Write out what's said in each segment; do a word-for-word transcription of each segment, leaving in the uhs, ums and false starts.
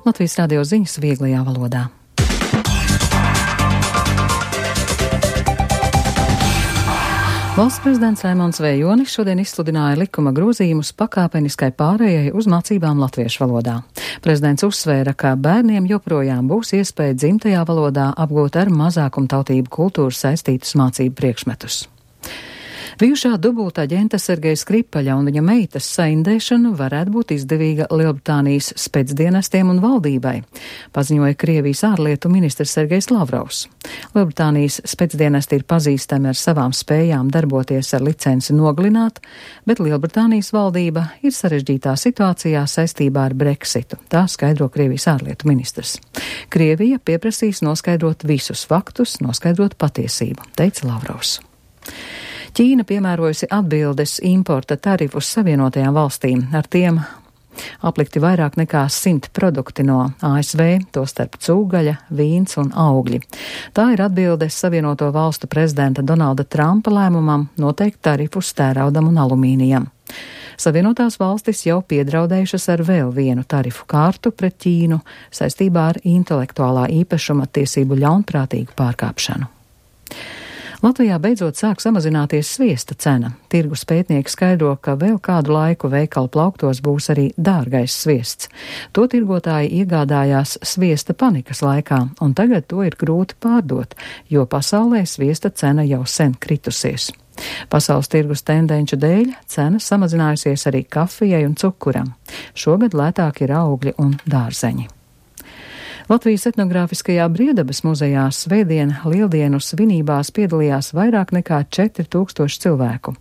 Latvijas radio ziņas vieglajā valodā. Valsts prezidents Raimons Vējonis šodien izsludināja likuma grozījumus pakāpeniskai pārējai uz mācībām latviešu valodā. Prezidents uzsvēra, ka bērniem joprojām būs iespēja dzimtajā valodā apgūt ar mazākumtautību kultūru saistītus mācību priekšmetus. Bijušā dubultaģenta Sergeja Skripaļa un viņa meitas saindēšana varētu būt izdevīga Lielbritānijas spēcdienestiem un valdībai, paziņoja Krievijas ārlietu ministrs Sergejs Lavrovs. Lielbritānijas spēcdienesti ir pazīstami ar savām spējām darboties ar licenci nogalināt, bet Lielbritānijas valdība ir sarežģītā situācijā saistībā ar Brexitu, tā skaidro Krievijas ārlietu ministrs. Krievija pieprasīs noskaidrot visus faktus, noskaidrot patiesību, teica Lavrovs. Ķīna piemērojusi atbildes importa tarifus Savienotajām valstīm. Ar tiem aplikti vairāk nekā simt produkti no A S V, tostarp cūgaļa, vīns un augļi. Tā ir atbildes Savienoto valstu prezidenta Donalda Trumpa lēmumam noteikt tarifus tēraudam un alumīnijam. Savienotās valstis jau piedraudējušas ar vēl vienu tarifu kārtu pret Ķīnu saistībā ar intelektuālā īpašuma tiesību ļaunprātīgu pārkāpšanu. Latvijā beidzot sāk samazināties sviesta cena. Tirgus pētnieki skaidro, ka vēl kādu laiku veikalu plauktos būs arī dārgais sviests. To tirgotāji iegādājās sviesta panikas laikā, un tagad to ir grūti pārdot, jo pasaulē sviesta cena jau sen kritusies. Pasaules tirgus tendenču dēļ cena samazinājusies arī kafijai un cukuram. Šogad lētāk ir augļi un dārzeņi. Latvijas etnogrāfiskajā Briedabas muzejā svētdien lieldienu svinībās piedalījās vairāk nekā četri tūkstoši cilvēku.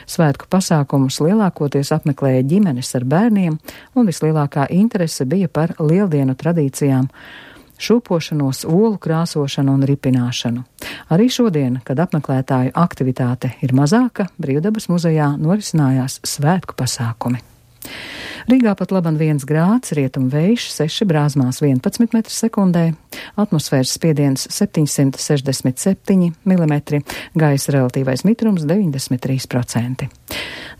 Svētku pasākumus lielākoties apmeklēja ģimenes ar bērniem, un vislielākā interese bija par lieldienu tradīcijām, šūpošanos, olu krāsošanu un ripināšanu. Arī šodien, kad apmeklētāju aktivitāte ir mazāka, Briedabas muzejā norisinājās svētku pasākumi. Rīgā pat laban viens grāds, rietumu vējš seši, brāzmās vienpadsmit metri sekundē, atmosfēras spiediens septiņsimt sešdesmit septiņi milimetri, gaisa relatīvais mitrums deviņdesmit trīs procenti.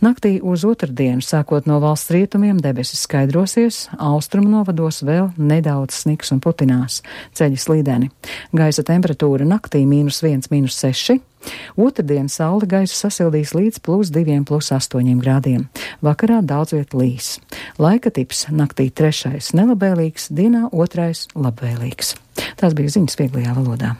Naktī uz otrdienu, sākot no valsts rietumiem, debesis skaidrosies, austrumu novados vēl nedaudz sniks un putinās, ceļi slīdeni. Gaisa temperatūra naktī mīnus viens, mīnus seši. Otrdien saule gaisu sasildīs līdz plus diviem, plus astoņiem grādiem. Vakarā daudz viet līs. Laika tips naktī trešais nelabvēlīgs, dienā otrais labvēlīgs. Tās bija ziņas vieglajā valodā.